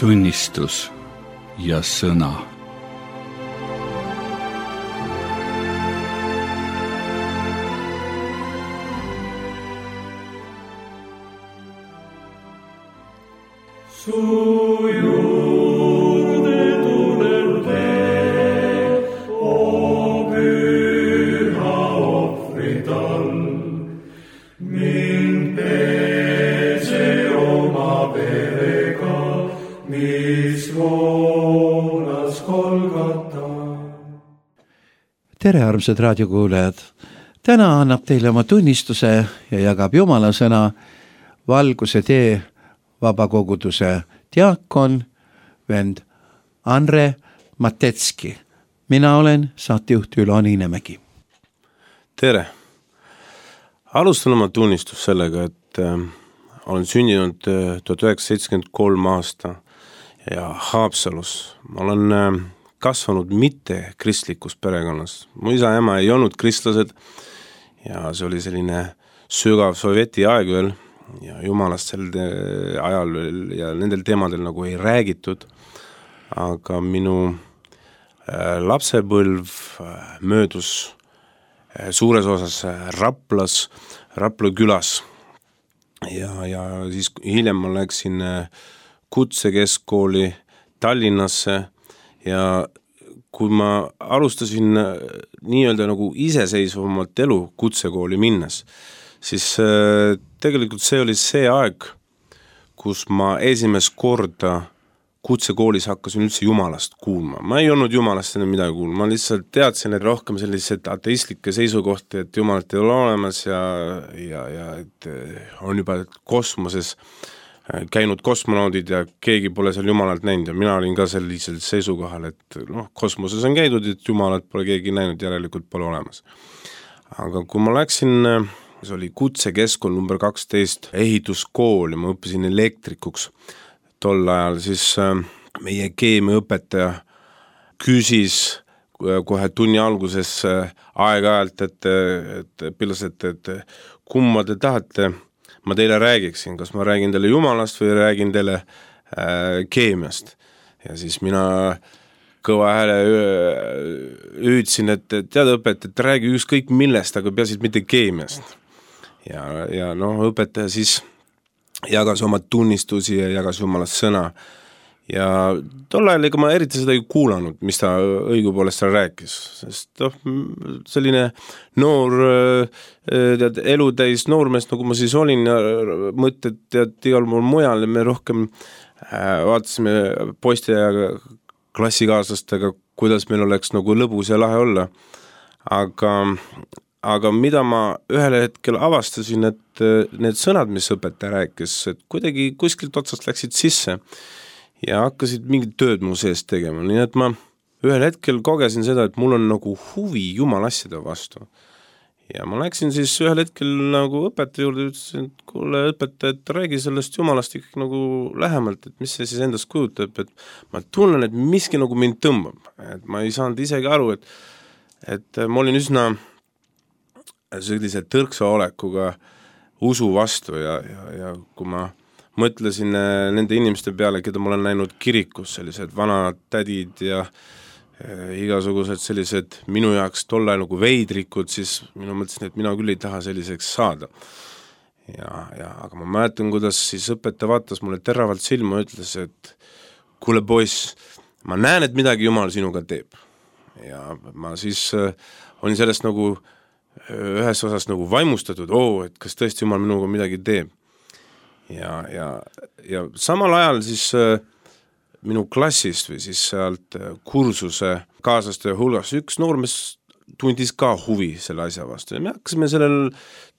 tunnistus ja sõna. Su juurde tulen tee, o püha ohvrital. Mind pese oma verega, mis voolas Golgata. Tere, armsad raadiokuulajad! Täna annab teile oma tunnistuse ja jagab Jumala sõna Valguse tee vabakoguduse diakon, vend Andre Matetski. Mina olen saatejuht Ülo Niinemägi. Tere! Alustan oma tunnistus sellega, et olen sündinud 1973 aasta ja Haapsalus. Ma olen kasvanud mitte kristlikus perekonnas. Mu isa ja ema ei olnud kristlased ja see oli selline sügav sovjeti aeg veel ja jumalast sel ajal ja nendel teemadel nagu ei räägitud, aga minu lapsepõlv möödus suures osas Rapla külas ja siis hiljem ma läksin kutsekeskkooli Tallinnasse ja kui ma alustasin nii-öelda nagu iseseisvamalt elu kutsekooli minnes, siis tegelikult see oli see aeg, kus ma esimest korda kutsekoolis hakkasin üldse Jumalast kuulma. Ma ei olnud Jumalast enne midagi kuulma, ma lihtsalt teadsin, et rohkem sellised ateistlikke seisukohti, et Jumalat ei ole olemas ja et on juba kosmoses käinud kosmonaudid ja keegi pole seal Jumalalt näinud ja mina olin ka sellisel seisukohal, et kosmoses on käidud, et Jumalat pole keegi näinud, järelikult pole olemas. Aga kui ma läksin, see oli kutsekeskkond number 12 ehituskool ja ma õppisin elektrikuks tol ajal, siis meie keemiaõpetaja küsis kohe tunni alguses aeg-ajalt, et õpilased, et kumma te tahate, ma teile räägiksin, kas ma räägin teile Jumalast või räägin teile keemiast. Ja siis mina kõva hääle hüüdsin, et tead õpetaja, et räägi ükskõik millest, aga peasid mitte keemiast. Ja õpetaja siis jagas oma tunnistusi ja jagas Jumalast sõna. Ja tol ajal ega ma eriti seda ei kuulanud, mis ta õigupoolest seal rääkis, sest selline noor elutäis noormees, nagu ma siis olin ja mõtted igal pool mujal ja me rohkem vaatasime poiste ja klassikaaslastega, kuidas meil oleks nagu lõbus ja lahe olla. Aga mida ma ühel hetkel avastasin, et need sõnad, mis õpetaja rääkis, et kuidagi kuskilt otsast läksid sisse ja hakkasid mingit tööd mu sees tegema. Nii et ma ühel hetkel kogesin seda, et mul on nagu huvi Jumala asjade vastu. Ja ma läksin siis ühel hetkel nagu õpetaja juurde, ütlesin, et kuule õpetaja, et räägi sellest Jumalast ikkagi nagu lähemalt, et mis see siis endast kujutab, et ma tunnen, et miski nagu mind tõmbab. Et ma ei saanud isegi aru, et ma olin üsna sellise tõrksa olekuga usu vastu ja kui ma mõtlesin nende inimeste peale, keda ma olen näinud kirikus, sellised vanad tädid ja igasugused sellised minu jaoks tolle nagu veidrikud, siis mina mõtlesin, et mina küll ei taha selliseks saada. Aga ma mäletan, kuidas siis õpetaja vaatas mulle teravalt silma ja ütles, et kuule poiss, ma näen, et midagi Jumal sinuga teeb. Ja ma siis olin sellest nagu ühes osas nagu vaimustatud, et kas tõesti Jumal minuga midagi teeb. Ja samal ajal siis minu klassist või siis sealt kursuse kaaslaste hulgas üks noormees tundis ka huvi selle asja vastu. Ja me hakkasime sellel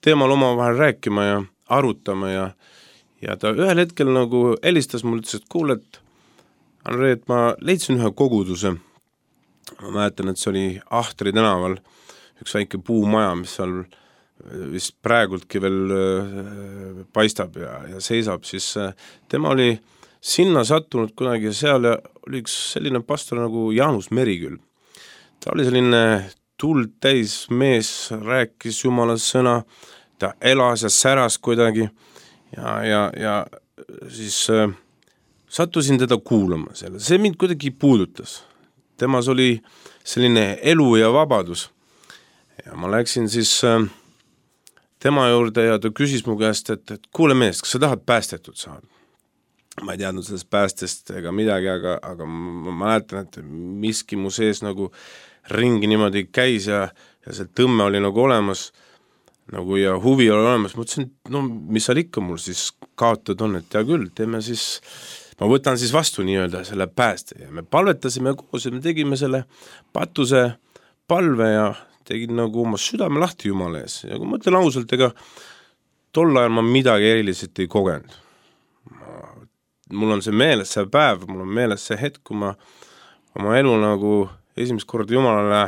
teemal omavahel rääkima ja arutama ja ta ühel hetkel nagu helistas mulle, ütles, et kuule, et Andre, et ma leidsin ühe koguduse. Ma mäletan, et see oli Ahtri tänaval, üks väike puumaja, mis seal vist praegultki veel paistab ja seisab, siis tema oli sinna sattunud kunagi ja seal oli üks selline pastor nagu Jaanus Meriküll. Ta oli selline tuld täis mees, rääkis Jumala sõna, ta elas ja säras kuidagi ja siis sattusin teda kuulama selle, see mind kuidagi puudutas. Temas oli selline elu ja vabadus. Ja ma läksin siis tema juurde ja ta küsis mu käest, et kuule mees, kas sa tahad päästetud saada? Ma ei teadnud sellest päästest ega midagi, aga ma mäletan, et miski mu sees nagu ringi niimoodi käis ja see tõmme oli nagu olemas nagu ja huvi oli olemas. Ma ütlesin, no mis seal ikka mul siis kaotada on, et hea küll, teeme siis, ma võtan siis vastu nii-öelda selle pääste ja me palvetasime koos ja me tegime selle patuse palve ja tegin nagu oma südame lahti Jumala ees. Ja kui ma ütlen ausalt, ega tol ajal ma midagi eriliselt ei kogenud. Mul on see meeles see päev, mul on meeles see hetk, kui ma oma elu nagu esimest korda Jumalale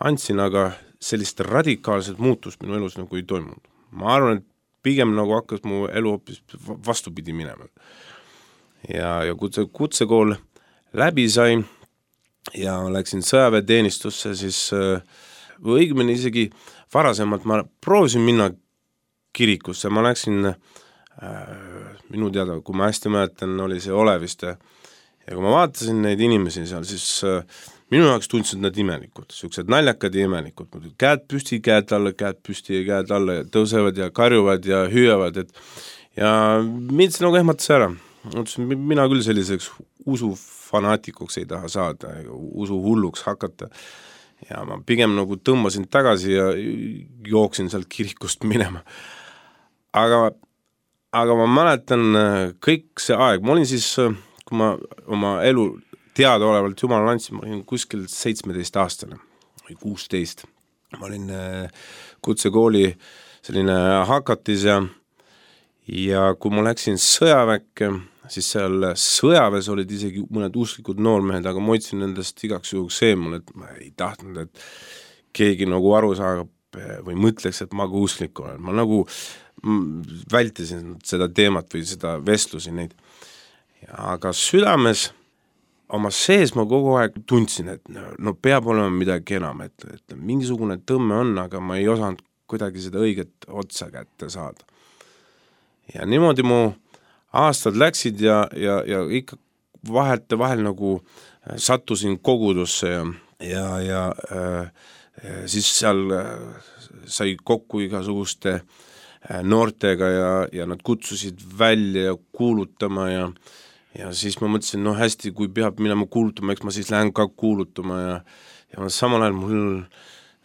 andsin, aga sellist radikaalset muutust minu elus nagu ei toimunud. Ma arvan, et pigem nagu hakkas mu elu hoopis vastupidi minema. Ja kutsekool läbi sai ja läksin sõjaväeteenistusse, siis õigemini isegi varasemalt ma proovisin minna kirikusse, ma läksin minu teada, kui ma hästi mäletan, oli see Oleviste ja kui ma vaatasin neid inimesi seal, siis minu jaoks tundsid nad imelikud, sellised naljakad ja imelikud, käed püsti, käed alla, käed püsti ja käed alla ja tõusevad ja karjuvad ja hüüavad, ja mind see nagu ehmatas ära. Mina küll selliseks usufanaatikuks ei taha saada, usu hulluks hakata ja ma pigem nagu tõmbasin tagasi ja jooksin sealt kirikust minema. Aga ma mäletan kõik see aeg, ma olin siis, kui ma oma elu teadaolevalt Jumalale andsin, ma olin kuskil 17 aastane või 16. Ma olin kutsekooli selline hakatis ja kui ma läksin sõjaväkke, siis seal sõjaväes olid isegi mõned usklikud noormehed, aga ma otsin nendest igaks juhuks eemul, et ma ei tahtnud, et keegi nagu aru saab või mõtleks, et ma ka usklik olen. Ma nagu vältisin seda teemat või seda vestlusi neid. Aga südames oma sees ma kogu aeg tundsin, et no peab olema midagi enam, et mingisugune tõmme on, aga ma ei osanud kuidagi seda õiget otsa kätte saada. Ja niimoodi mu aastad läksid ja ikka vahel nagu sattusin kogudusse ja siis seal sai kokku igasuguste noortega ja nad kutsusid välja ja kuulutama ja siis ma mõtlesin, no hästi, kui peab minema kuulutama, eks ma siis lähen ka kuulutama ja samal ajal mul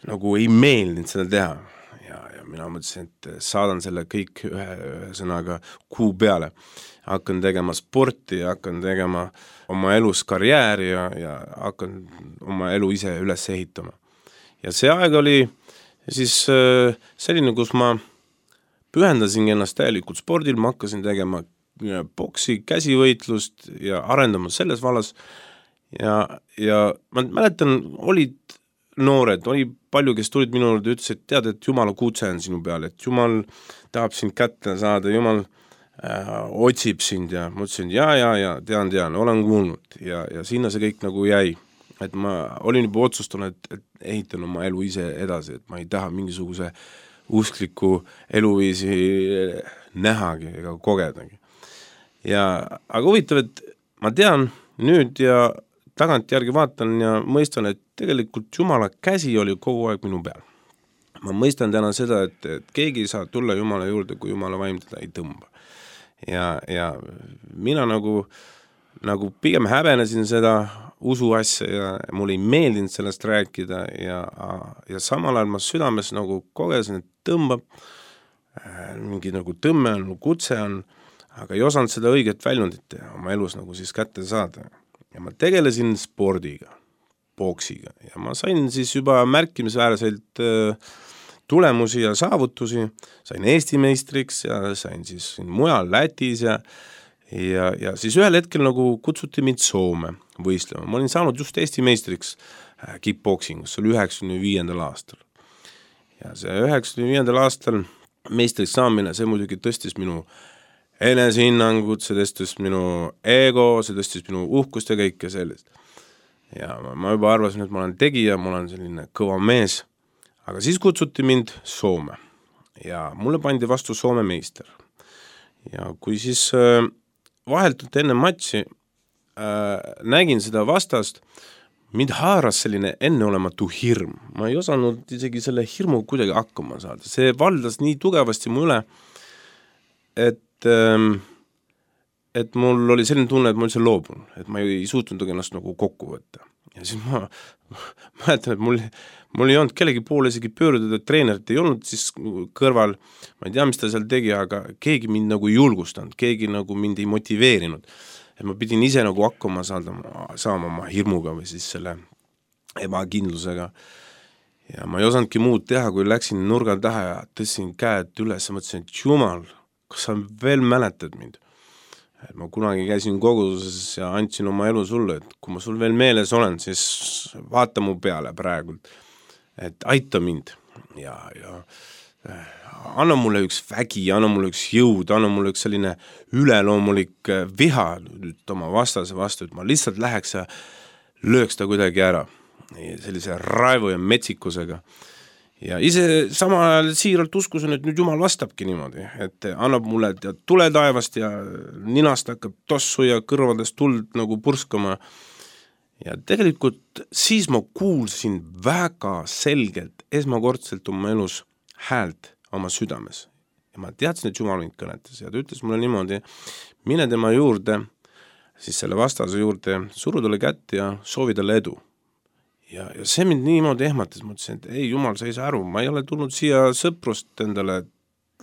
nagu ei meeldinud seda teha ja mina mõtlesin, et saadan selle kõik ühe sõnaga kuu peale. Hakkan tegema sporti ja hakkan tegema oma elus karjääri ja hakkan oma elu ise üles ehitama. Ja see aeg oli siis selline, kus ma pühendasin ennast täielikult spordil, ma hakkasin tegema boksi, käsivõitlust ja arendama selles vallas ja ma mäletan, olid noored, oli palju, kes tulid minu juurde ja ütles, et tead, et Jumala kutse on sinu peal, et Jumal tahab sind kätte saada, Jumal otsib sind ja ma ütlesin, ja, tean, olen kuulnud ja sinna see kõik nagu jäi, et ma olin juba otsustanud, et ehitan oma elu ise edasi, et ma ei taha mingisuguse uskliku eluviisi nähagi ega kogedagi. Aga huvitav, et ma tean nüüd ja tagantjärgi vaatan ja mõistan, et tegelikult Jumala käsi oli kogu aeg minu peal. Ma mõistan täna seda, et keegi ei saa tulla Jumala juurde, kui Jumala vaim teda ei tõmba. Ja mina nagu pigem häbenesin seda usu asja ja mul ei meeldinud sellest rääkida ja samal ajal ma südames nagu kogesin, et tõmbab, mingi nagu tõmme on, kutse on, aga ei osanud seda õiget väljundit oma elus nagu siis kätte saada. Ja ma tegelesin spordiga, boksiga ja ma sain siis juba märkimisväärselt tulemusi ja saavutusi, sain Eesti meistriks ja sain siis mujal Lätis ja siis ühel hetkel nagu kutsuti mind Soome võistlema. Ma olin saanud just Eesti meistriks kickboksingus, see oli 95. aastal. Ja see 95. aastal meistriks saamine, see muidugi tõstis minu enesehinnangut, see tõstis minu ego, see tõstis minu uhkust ja kõike sellist. Ja ma juba arvasin, et ma olen tegija, ma olen selline kõva mees, aga siis kutsuti mind Soome ja mulle pandi vastu Soome meister. Ja kui siis vaheltult enne matši nägin seda vastast, mind haaras selline enneolematu hirm. Ma ei osanud isegi selle hirmu kuidagi hakkama saada. See valdas nii tugevasti mu üle, et mul oli selline tunne, et ma üldse loobun, et ma ei suutnud ennast nagu kokku võtta. Ja siis ma mäletan, et mul ei olnud kellegi poole isegi pöörduda, treenerit ei olnud siis kõrval, ma ei tea, mis ta seal tegi, aga keegi mind nagu ei julgustanud, keegi nagu mind ei motiveerinud. Et ma pidin ise nagu hakkama saama oma hirmuga või siis selle ebakindlusega. Ja ma ei osanudki muud teha, kui läksin nurgal taha ja tõstsin käed üles ja mõtlesin, et jumal, kas sa veel mäletad mind? Et ma kunagi käisin koguduses ja andsin oma elu sulle, et kui ma sul veel meeles olen, siis vaata mu peale praegu, et aita mind ja anna mulle üks vägi, anna mulle üks jõud, anna mulle üks selline üleloomulik viha nüüd oma vastase vastu, et ma lihtsalt läheks ja lööks ta kuidagi ära sellise raevu ja metsikusega. Ja ise sama ajal siiralt uskusin, et nüüd Jumal vastabki niimoodi, et annab mulle tule taevast ja ninast hakkab tossu ja kõrvadest tuld nagu purskama. Ja tegelikult siis ma kuulsin väga selgelt esmakordselt oma elus häält oma südames. Ja ma teadsin, et Jumal mind kõnetas ja ta ütles mulle niimoodi, mine tema juurde, siis selle vastase juurde, suru talle kätt ja soovi talle edu. Ja see mind niimoodi ehmatas, mõtlesin, et ei, Jumal, sa ei saa aru, ma ei ole tulnud siia sõprust endale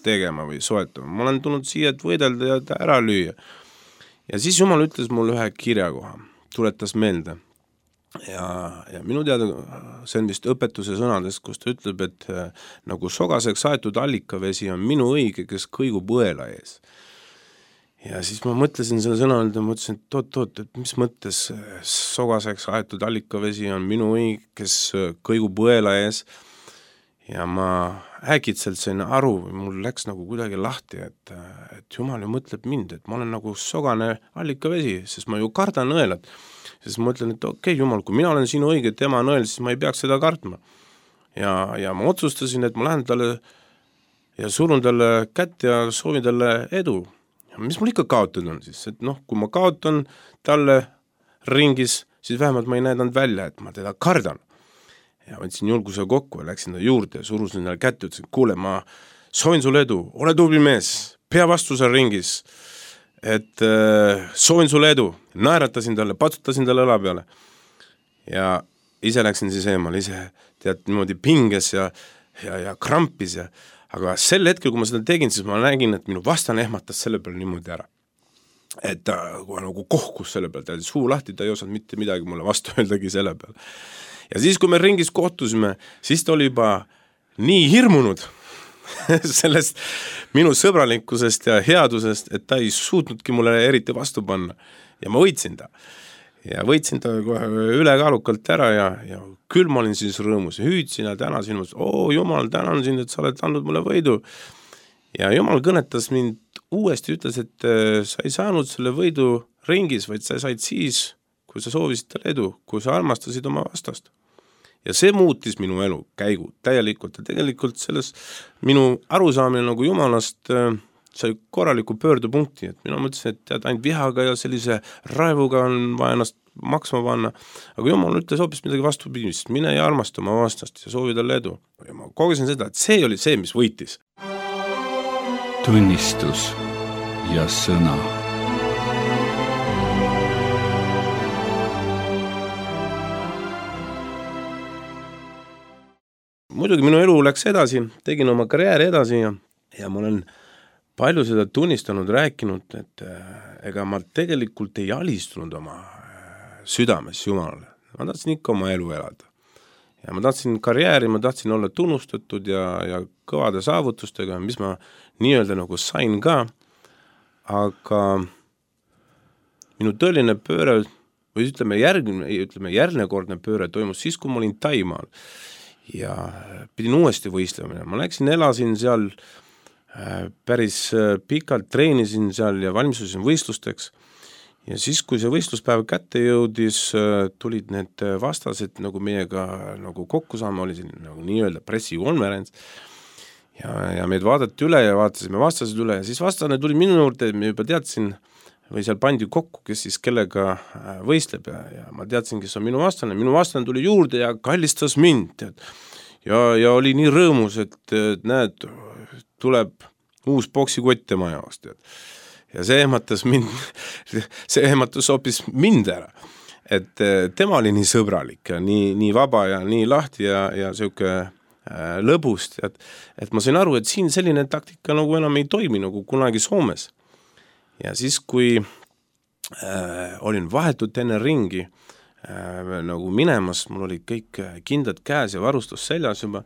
tegema või soetama, ma olen tulnud siia, et võidelda ja ta ära lüüa. Ja siis Jumal ütles mulle ühe kirjakoha, tuletas meelde. Ja minu teada see on vist õpetuse sõnades, kus ta ütleb, et nagu sogaseks aetud allikavesi on minu õige, kes kõigub õela ees. Ja siis ma mõtlesin selle sõna, ja mõtlesin, et oot, et mis mõttes sogaseks aetud allikavesi on minu õige, kes kõigub õela ees. Ja ma äkitselt sain aru, mul läks nagu kuidagi lahti, et Jumal ju mõtleb mind, et ma olen nagu sogane allikavesi, sest ma ju kardan õelat. Siis ma mõtlen, et okei, Jumal, kui mina olen sinu õige, tema on õel, siis ma ei peaks seda kartma. Ja ma otsustasin, et ma lähen talle ja surun talle kätt ja soovin talle edu. Ja mis mul ikka kaotada on siis, et kui ma kaotan talle ringis, siis vähemalt ma ei näidanud välja, et ma teda kardan. Ja võtsin julguse kokku ja läksin ta juurde ja surusin talle kätte, ütlesin, kuule, ma soovin sulle edu, ole tubli mees, pea vastu seal ringis, et soovin sulle edu, naeratasin talle, patsutasin talle õla peale ja ise läksin siis eemal, ise tead niimoodi pinges ja krampis aga sel hetkel, kui ma seda tegin, siis ma nägin, et minu vastane ehmatas selle peale niimoodi ära. Et ta nagu kohkus selle peale, ta oli suu lahti, ta ei osanud mitte midagi mulle vastu öeldagi selle peale. Ja siis, kui me ringis kohtusime, siis ta oli juba nii hirmunud sellest minu sõbralikkusest ja headusest, et ta ei suutnudki mulle eriti vastu panna. Ja ma võitsin ta. Ja võitsin ta ülekaalukalt ära ja küll ma olin siis rõõmus ja hüüdsin ja tänasin, Jumal, tänan sind, et sa oled andnud mulle võidu. Ja Jumal kõnetas mind uuesti, ütles, et sa ei saanud selle võidu ringis, vaid sa said siis, kui sa soovisid talle edu, kui sa armastasid oma vastast. Ja see muutis minu elu käigu täielikult ja tegelikult selles minu arusaamine nagu Jumalast sai korraliku pöördupunkti, et mina mõtlesin, et tead, ainult vihaga ja sellise raevuga on vaja ennast maksma panna, aga Jumal ütles hoopis midagi vastupidist, mine ja armasta oma vastast ja soovi talle edu. Ja ma kogesin seda, et see oli see, mis võitis. Tunnistus ja sõna. Muidugi minu elu läks edasi, tegin oma karjääri edasi ja ma olen palju seda tunnistanud, rääkinud, et ega ma tegelikult ei alistunud oma südames Jumalale. Ma tahtsin ikka oma elu elada. Ja ma tahtsin karjääri, ma tahtsin olla tunnustatud ja kõvade saavutustega, mis ma nii-öelda nagu sain ka, aga minu tõeline pööre, või ütleme järgnekordne pööre toimus siis, kui ma olin Taimaal ja pidin uuesti võistlema. Ma läksin, elasin seal päris pikalt, treenisin seal ja valmistusin võistlusteks ja siis, kui see võistluspäev kätte jõudis, tulid need vastased nagu meiega nagu kokku saama, oli siin nagu nii-öelda pressikonverents ja meid vaadati üle ja vaatasime vastased üle ja siis vastane tuli minu juurde, me juba teadsin või seal pandi kokku, kes siis kellega võistleb ja ma teadsin, kes on minu vastane tuli juurde ja kallistas mind, tead. Ja oli nii rõõmus, et näed, tuleb uus poksikott tema jaoks, tead. Ja see ehmatas hoopis mind ära, et tema oli nii sõbralik ja nii vaba ja nii lahti ja siuke lõbust, et ma sain aru, et siin selline taktika nagu enam ei toimi nagu kunagi Soomes. Ja siis, kui olin vahetult enne ringi nagu minemas, mul oli kõik kindlad käes ja varustus seljas juba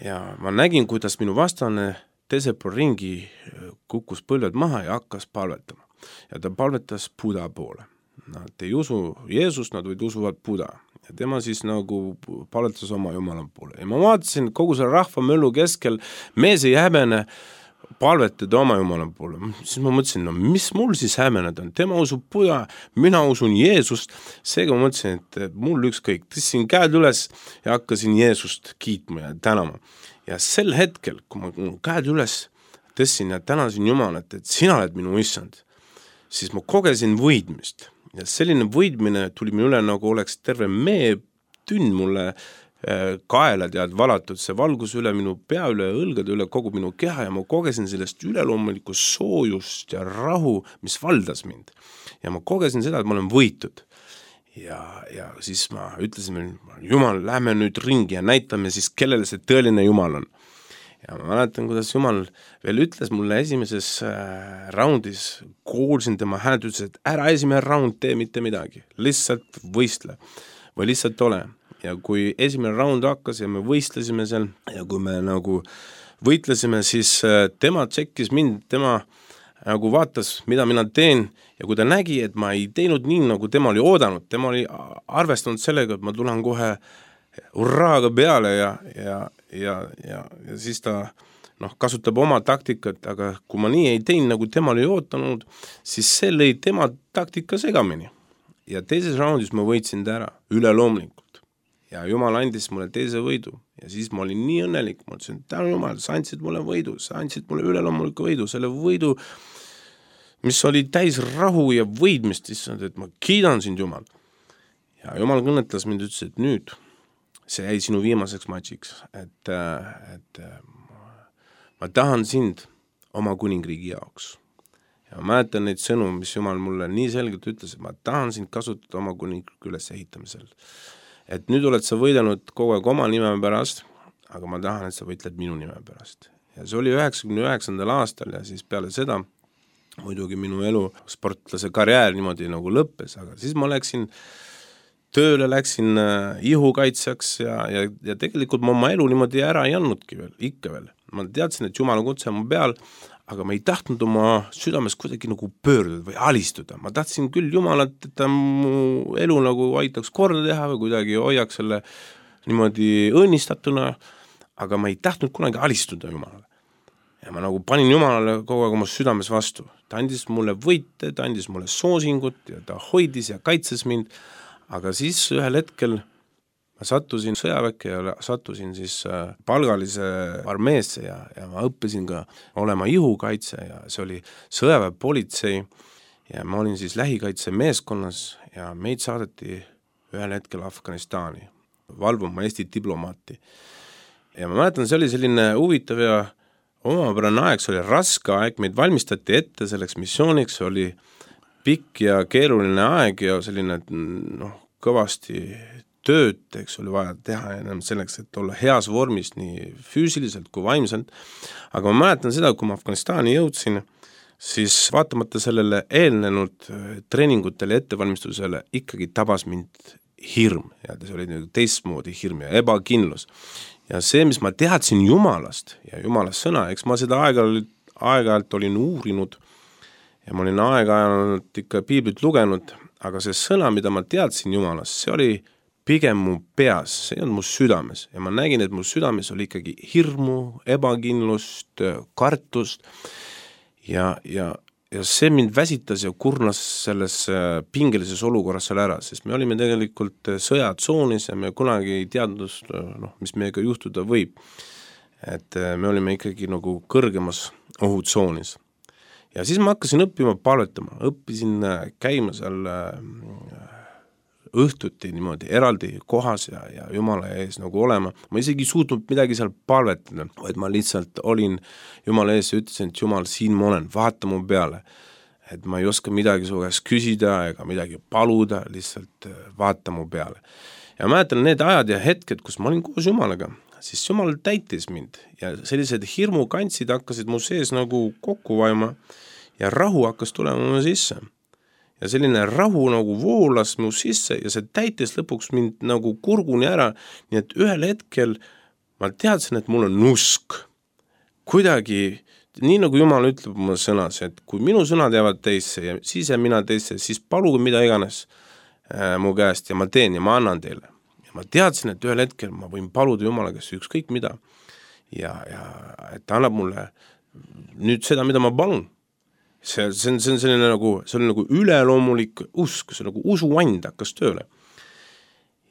ja ma nägin, kuidas minu vastane teisel pool ringi kukkus põlved maha ja hakkas palvetama. Ja ta palvetas Buda poole. Nad ei usu Jeesust, nad võid usuvad Buda. Ja tema siis nagu palvetas oma Jumala poole. Ja ma vaatasin kogu selle rahva möllu keskel, mees ei häbene palvetada oma Jumala poole. Siis ma mõtlesin, no mis mul siis häbeneda on? Tema usub Buda, mina usun Jeesust. Seega ma mõtlesin, et mul ükskõik. Tõstsin käed üles ja hakkasin Jeesust kiitma ja tänama. Ja sel hetkel, kui ma käed üles tõstsin ja tänasin Jumalat, et sina oled minu issand, siis ma kogesin võidmist. Ja selline võidmine tuli minu üle, nagu oleks terve meetünn mulle kaela tead valatud, see valgus üle minu pea üle, õlgade üle kogu minu keha ja ma kogesin sellest üleloomulikku soojust ja rahu, mis valdas mind. Ja ma kogesin seda, et ma olen võitud. Ja siis ma ütlesin, Jumal, lähme nüüd ringi ja näitame siis, kellele see tõeline Jumal on. Ja ma mäletan, kuidas Jumal veel ütles mulle esimeses raundis, kuulsin tema häält, ütles, et ära esimene raund tee mitte midagi, lihtsalt võistle või lihtsalt ole. Ja kui esimene raund hakkas ja me võistlesime seal ja kui me nagu võitlesime, siis tema tšekkis mind, tema nagu vaatas, mida mina teen ja kui ta nägi, et ma ei teinud nii, nagu tema oli oodanud, tema oli arvestanud sellega, et ma tulen kohe urraaga peale ja siis ta kasutab oma taktikat, aga kui ma nii ei teinud, nagu tema oli ootanud, siis see lõi tema taktika segamini. Ja teises raundis ma võitsin ta ära, üleloomulikult. Ja Jumal andis mulle teise võidu ja siis ma olin nii õnnelik, ma ütlesin, tänu Jumal, sa andsid mulle võidu, sa andsid mulle üleloomuliku võidu, selle võidu, mis oli täis rahu ja võidmist, et ma kiidan sind, Jumal. Ja Jumal kõnetas mind, ütles, et nüüd see jäi sinu viimaseks matšiks, et ma tahan sind oma kuningriigi jaoks. Ja ma mäletan neid sõnu, mis Jumal mulle nii selgelt ütles, et ma tahan sind kasutada oma kuningriigi üles ehitamisel. Et nüüd oled sa võidelnud kogu aeg oma nime pärast, aga ma tahan, et sa võitled minu nime pärast. Ja see oli 99. aastal ja siis peale seda muidugi minu elu sportlase karjäär niimoodi nagu lõppes, aga siis ma läksin tööle, läksin ihukaitsjaks ja tegelikult ma oma elu niimoodi ära ei andnudki veel, ikka veel. Ma teadsin, et Jumala kutse on mu peal, aga ma ei tahtnud oma südames kuidagi nagu pöörduda või alistuda. Ma tahtsin küll Jumalat, et ta mu elu nagu aitaks korda teha või kuidagi hoiaks selle niimoodi õnnistatuna, aga ma ei tahtnud kunagi alistuda Jumalale. Ja ma nagu panin Jumalale kogu aeg oma südames vastu. Ta andis mulle võite, ta andis mulle soosingut ja ta hoidis ja kaitses mind, aga siis ühel hetkel ma sattusin sõjaväkke ja sattusin siis palgalise armeesse ja ma õppisin ka olema ihukaitse ja see oli sõjaväepolitsei ja ma olin siis lähikaitse meeskonnas ja meid saadeti ühel hetkel Afganistani valvuma Eesti diplomaati. Ja ma mäletan, see oli selline huvitav ja omapärane aeg, see oli raske aeg, meid valmistati ette selleks missiooniks, see oli pikk ja keeruline aeg ja selline kõvasti tööd, eks oli vaja teha enam selleks, et olla heas vormis nii füüsiliselt kui vaimselt. Aga ma mäletan seda, kui ma Afganistani jõudsin, siis vaatamata sellele eelnenud treeningutele ja ettevalmistusele ikkagi tabas mind hirm ja see oli teistmoodi hirm ja ebakindlus. Ja see, mis ma teadsin Jumalast ja Jumalast sõna, eks ma seda aeg-ajalt olin uurinud ja ma olin aeg-ajalt ikka piiblit lugenud, aga see sõna, mida ma teadsin Jumalast, see oli pigem mu peas, see on mu südames ja ma nägin, et mu südames oli ikkagi hirmu, ebakindlust, kartust ja see mind väsitas ja kurnas selles pingelises olukorras seal ära, sest me olime tegelikult sõjatsoonis ja me kunagi ei teadnud, mis meiega juhtuda võib. Et me olime ikkagi nagu kõrgemas ohutsoonis. Ja siis ma hakkasin õppima palvetama, õppisin käima seal õhtuti niimoodi eraldi kohas ja Jumala ees nagu olema. Ma isegi suutnud midagi seal palvetada, vaid ma lihtsalt olin Jumala ees ja ütlesin, et Jumal, siin ma olen, vaata mu peale. Et ma ei oska midagi su käest küsida ega midagi paluda, lihtsalt vaata mu peale. Ja mäletan need ajad ja hetked, kus ma olin koos Jumalaga, siis Jumal täitis mind ja sellised hirmukantsid hakkasid mu sees nagu kokku vaima ja rahu hakkas tulema mu sisse. Ja selline rahu nagu voolas mu sisse ja see täitis lõpuks mind nagu kurguni ära, nii et ühel hetkel ma teadsin, et mul on usk. Kuidagi, nii nagu Jumal ütleb oma sõnas, et kui minu sõnad jäävad teisse ja siis jääb mina teisse, siis paluge mida iganes mu käest ja ma teen ja ma annan teile. Ja ma teadsin, et ühel hetkel ma võin paluda Jumala käest ükskõik mida ja et ta annab mulle nüüd seda, mida ma palun. See on selline nagu üleloomulik usk, see nagu usuvand hakkas tööle.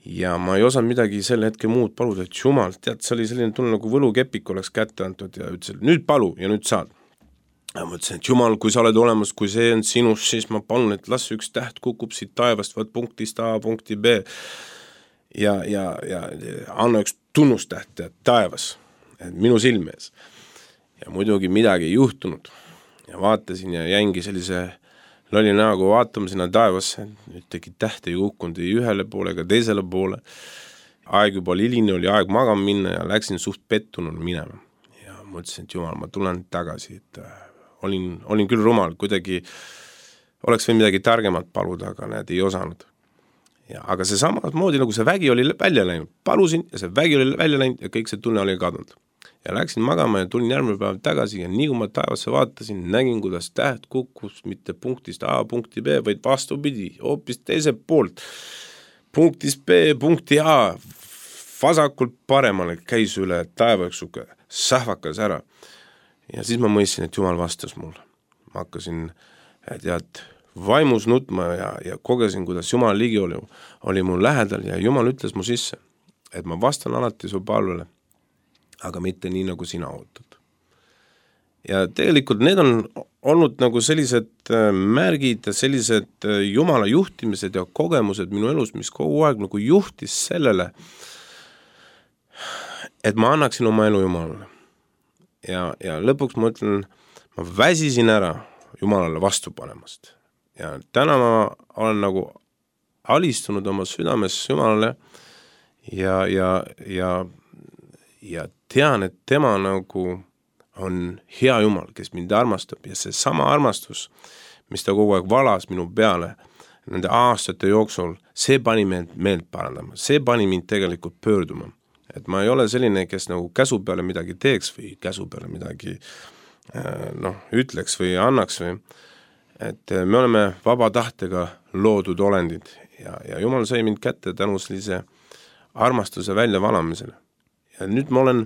Ja ma ei osanud midagi sel hetkel muud paluda, et Jumal, tead, see oli selline tunne nagu võlukepik oleks kätte antud ja ütlesin, nüüd palu ja nüüd saad. Ja ma ütlesin, et Jumal, kui sa oled olemas, kui see on sinus, siis ma palun, et las üks täht kukub siit taevast, vaat punktist A, punkti B ja anna üks tunnustäht taevas, et minu silme ees. Ja muidugi midagi ei juhtunud. Ja vaatasin ja jäingi sellise lolli näoga vaatama sinna taevasse, nüüd tegi tähte ei kukkunud ei ühele poole ega teisele poole. Aeg juba liline oli aeg magama minna ja läksin suht pettunud minema. Ja mõtlesin, et Jumal, ma tulen tagasi, et olin küll rumal, kuidagi oleks või midagi targemat paluda, aga näed, ei osanud. Ja, aga see samamoodi nagu see vägi oli välja läinud, palusin ja see vägi oli välja läinud ja kõik see tunne oli kadunud. Ja läksin magama ja tulin järgmine päev tagasi ja nii kui ma taevasse vaatasin, nägin, kuidas täht kukkus mitte punktist A, punkti B, vaid vastupidi, hoopis teiselt poolt. Punktist B, punkti A, vasakult paremale käis üle taevaüksuga, sähvakas ära. Ja siis ma mõistsin, et Jumal vastas mulle. Ma hakkasin vaimus nutma ja kogesin, kuidas Jumal ligi oli mul lähedal ja Jumal ütles mu sisse, et ma vastan alati su palvele, aga mitte nii, nagu sina ootad. Ja tegelikult need on olnud nagu sellised märgid ja sellised Jumala juhtimised ja kogemused minu elus, mis kogu aeg nagu juhtis sellele, et ma annaksin oma elu Jumalale. Ja lõpuks ma ütlen, ma väsisin ära Jumalale vastu panemast. Ja täna ma olen nagu alistunud oma südames Jumalale ja tean, et tema nagu on hea Jumal, kes mind armastab ja see sama armastus, mis ta kogu aeg valas minu peale nende aastate jooksul, see pani meelt parandama, see pani mind tegelikult pöörduma. Et ma ei ole selline, kes nagu käsu peale midagi teeks või käsu peale midagi ütleks või annaks või, et me oleme vaba tahtega loodud olendid ja Jumal sai mind kätte tänu sellise armastuse välja valamisele. Ja nüüd ma olen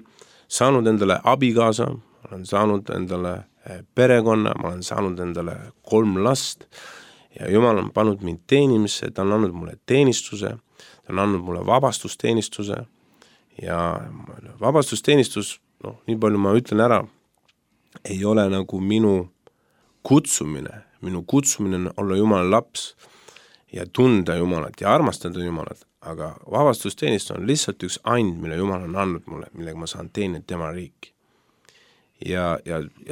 saanud endale abikaasa, ma olen saanud endale perekonna, ma olen saanud endale 3 last ja Jumal on pannud mind teenimisse, ta on andnud mulle teenistuse, ta on andnud mulle vabastusteenistuse ja vabastusteenistus, nii palju ma ütlen ära, ei ole nagu minu kutsumine on olla Jumala laps ja tunda Jumalat ja armastada Jumalat. Aga vabastusteenistus on lihtsalt üks and, mille Jumal on andnud mulle, millega ma saan teenida tema riiki. Ja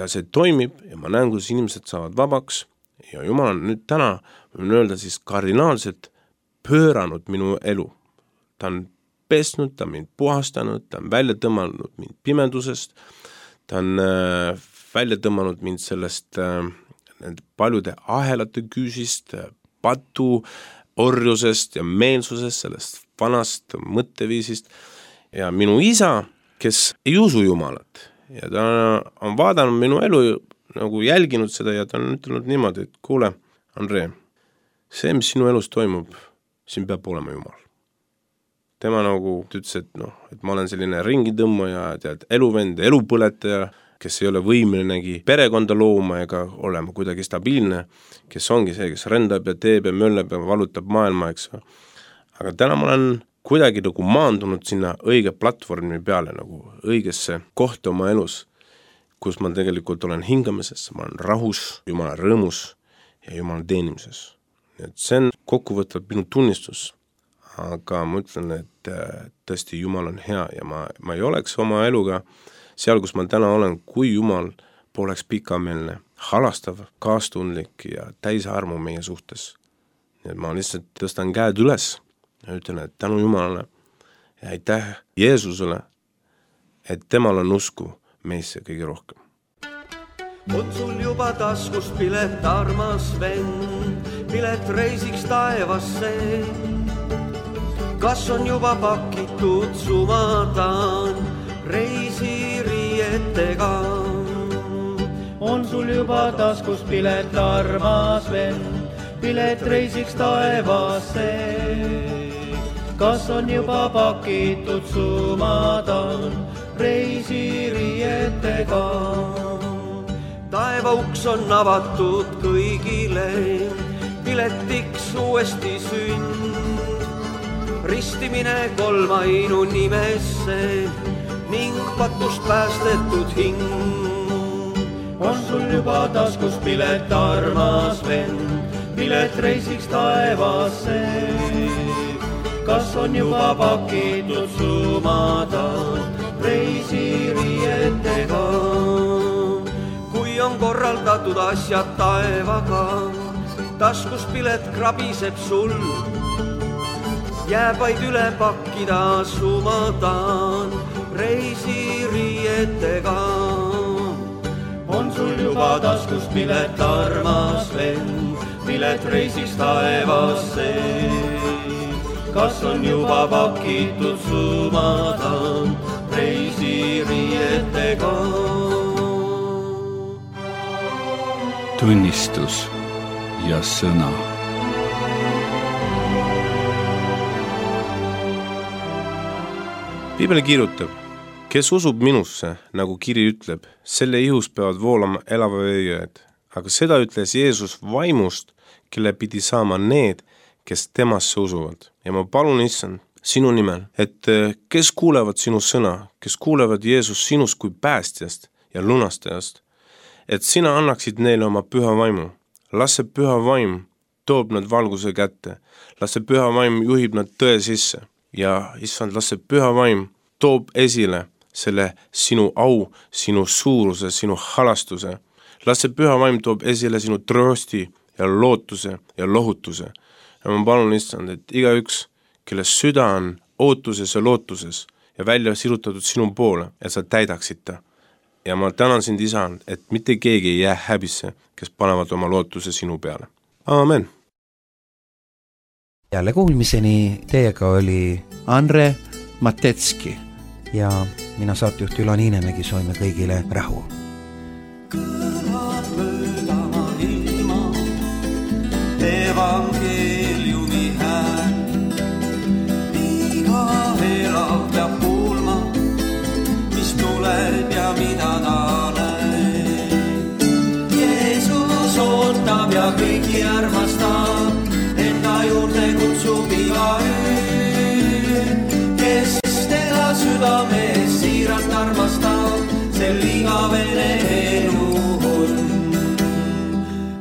see toimib ja ma näen, kuidas inimesed saavad vabaks ja Jumal on nüüd täna, võin öelda siis kardinaalselt pööranud minu elu. Ta on pesnud, ta on mind puhastanud, ta on välja tõmmanud mind pimedusest, ta on välja tõmmanud mind sellest paljude ahelate küüsist, patu orjusest ja meelsusest, sellest vanast mõtteviisist ja minu isa, kes ei usu Jumalat ja ta on vaadanud minu elu, nagu jälginud seda ja ta on ütelnud niimoodi, et kuule, Andre, see, mis sinu elus toimub, siin peab olema Jumal. Tema nagu ütles, et ma olen selline ringitõmmaja, eluvend, elupõletaja, kes ei ole võimelinegi perekonda looma ega olema kuidagi stabiilne, kes ongi see, kes rändab ja teeb ja möllab ja valutab maailma, eks. Aga täna ma olen kuidagi nagu maandunud sinna õige platvormi peale, nagu õigesse kohta oma elus. kus ma tegelikult olen hingamises, ma olen rahus, Jumala rõõmus ja Jumala teenimises. Et see on kokkuvõtvalt minu tunnistus, aga ma ütlen, et tõesti Jumal on hea ja ma ei oleks oma eluga seal, kus ma täna olen, kui Jumal poleks pikameelne, halastav, kaastundlik ja täis armu meie suhtes. Nii et ma lihtsalt tõstan käed üles ja ütlen, et tänu Jumalale ja aitäh Jeesusele, et temal on usku meisse kõige rohkem. On sul juba taskust pilet, armas vend, pilet reisiks taevasse? Kas on juba pakitud sumadan reisiriietega? On sul juba taskust pilet, armas vend, pilet reisiks taevasse? Kas on juba pakitud sumadan reisiriietega? Taeva uks on avatud kõigile, piletiks uuesti sünd. Ristimine kolmainu nimesse ning patust päästetud hing. On sul juba taskus pilet, armas vend, pilet reisiks taevasse? Kas on juba pakitud sumadan reisiriietega? Kui on korraldatud asjad taevaga, taskus pilet krabiseb sul. Jääb vaid üle pakkida sumadan reisiriietega. On sul juba taskus pilet, armas vend, pilet reisiks taevasse? Kas on juba pakitud sumadan reisiriietega? Tunnistus ja sõna. Piibel kirjutab, kes usub minusse, nagu kiri ütleb, selle ihus peavad voolama elava veejõed. Aga seda ütles Jeesus vaimust, kelle pidi saama need, kes temasse usuvad. Ja ma palun, Issand, sinu nimel, et kes kuulevad sinu sõna, kes kuulevad Jeesus sinust kui päästjast ja lunastajast, et sina annaksid neile oma püha vaimu. Las see püha vaim toob nad valguse kätte. Las see püha vaim juhib nad tõe sisse. Ja Issand, las see püha vaim toob esile selle sinu au, sinu suuruse, sinu halastuse. Las see püha vaim toob esile sinu tröösti ja lootuse ja lohutuse. Ja ma palun, Issand, et igaüks, kelle süda on ootuses ja lootuses ja välja sirutatud sinu poole, et sa täidaksid ta. Ja ma tänan sind, Isand, et mitte keegi ei jää häbisse, kes panevad oma lootuse sinu peale. Aamen. Jälle kuulmiseni teiega oli Andre Matetski ja mina saatejuht Ülo Niinemägi, soovime kõigile rahu. Kõlab möödama ilma, evangeeliumi hääl. Iga elav peab kuulma, mis tuleb ja mida ta näeb. Jeesus ootab ja kõiki armastab, enda juurde kutsub igaüks, kes teda südames siiralt armastab, sel igavene elu on.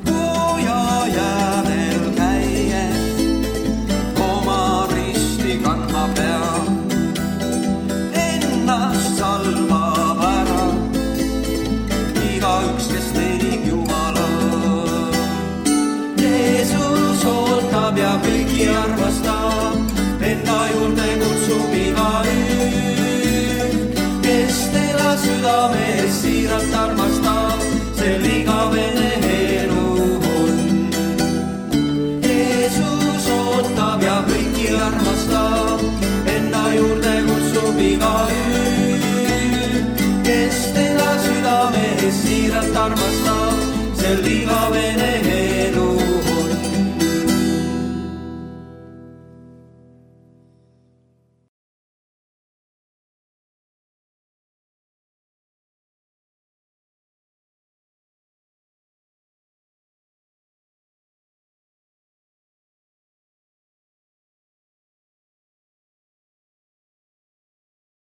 Kuja jäädel käies oma risti kandma peab, ennast salvab ära igaüks, kes teenib Jumala. Jeesus ootab ja kõiki armastab, enda juurde kutsub igaüks, kes teda südames siiralt armastab, sel igavene elu on. Jeesus ootab ja kõiki armastab, enda juurde kutsub igaüks, kes teda südames siiralt armastab, sel igavene